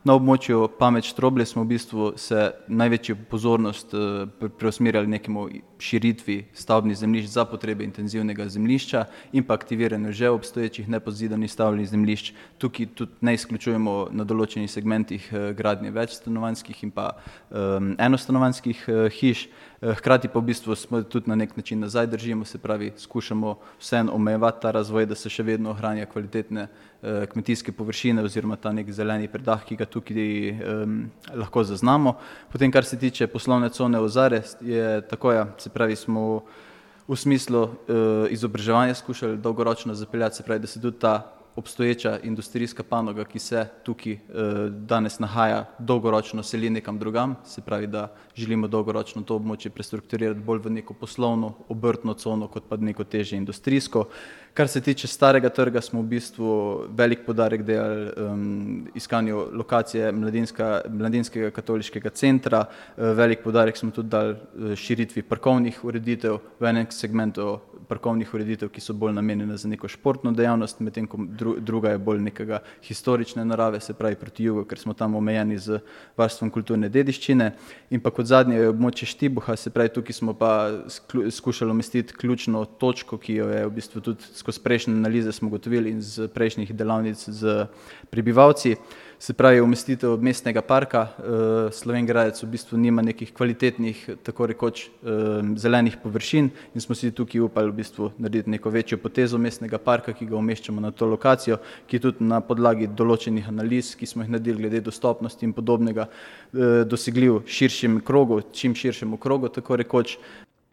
Na območju Pamet-Štroblje smo v bistvu se največjo pozornost preusmerjali nekemu širitvi stavbnih zemljišč za potrebe intenzivnega zemljišča in pa aktiviranju že obstoječih nepozidanih stavbnih zemljišč. Tukaj tudi ne izključujemo na določenih segmentih gradnje večstanovanjskih in pa enostanovanjskih hiš. Hkrati pa v bistvu smo tudi na nek način nazaj držimo, se pravi, skušamo vseeno omejevati ta razvoj, da se še vedno ohranja kvalitetne kmetijske površine oziroma ta nek zeleni predah, ki ga tukaj lahko zaznamo. Potem, kar se tiče poslovne cone Ozare, je tako, se pravi, smo v smislu izobraževanja skušali dolgoročno zapeljati, se pravi, da se tudi ta obstoječa industrijska panoga, ki se tukaj danes nahaja, dolgoročno seli nekam drugam, se pravi, da želimo dolgoročno to območje prestrukturirati bolj v neko poslovno, obrtno cono, kot pa neko težje industrijsko. Kar se tiče starega trga, smo v bistvu velik poudarek dali iskanju lokacije mladinskega katoliškega centra, velik poudarek smo tudi dali širitvi parkovnih ureditev, v enem segmentu parkovnih ureditev, ki so bolj namenjene za neko športno dejavnost, medtem ko druga je bolj nekega historične narave, se pravi proti jugu, ker smo tam omejeni z varstvom kulturne dediščine. In pa kot zadnje je območje Štibuha, se pravi, tukaj smo pa skušali umestiti ključno točko, ki jo je v bistvu tudi skozi prejšnje analize smo ugotovili in z prejšnjih delavnic z prebivalci. Se pravi, umestitev mestnega parka. Slovenj Gradec v bistvu nima nekih kvalitetnih, tako rekoč, zelenih površin in smo si tukaj upali v bistvu narediti neko večjo potezo mestnega parka, ki ga umeščamo na to lokacijo, ki je tudi na podlagi določenih analiz, ki smo jih naredili glede dostopnosti in podobnega, dosegljiv širšem krogu, čim širšemu krogu, tako rekoč.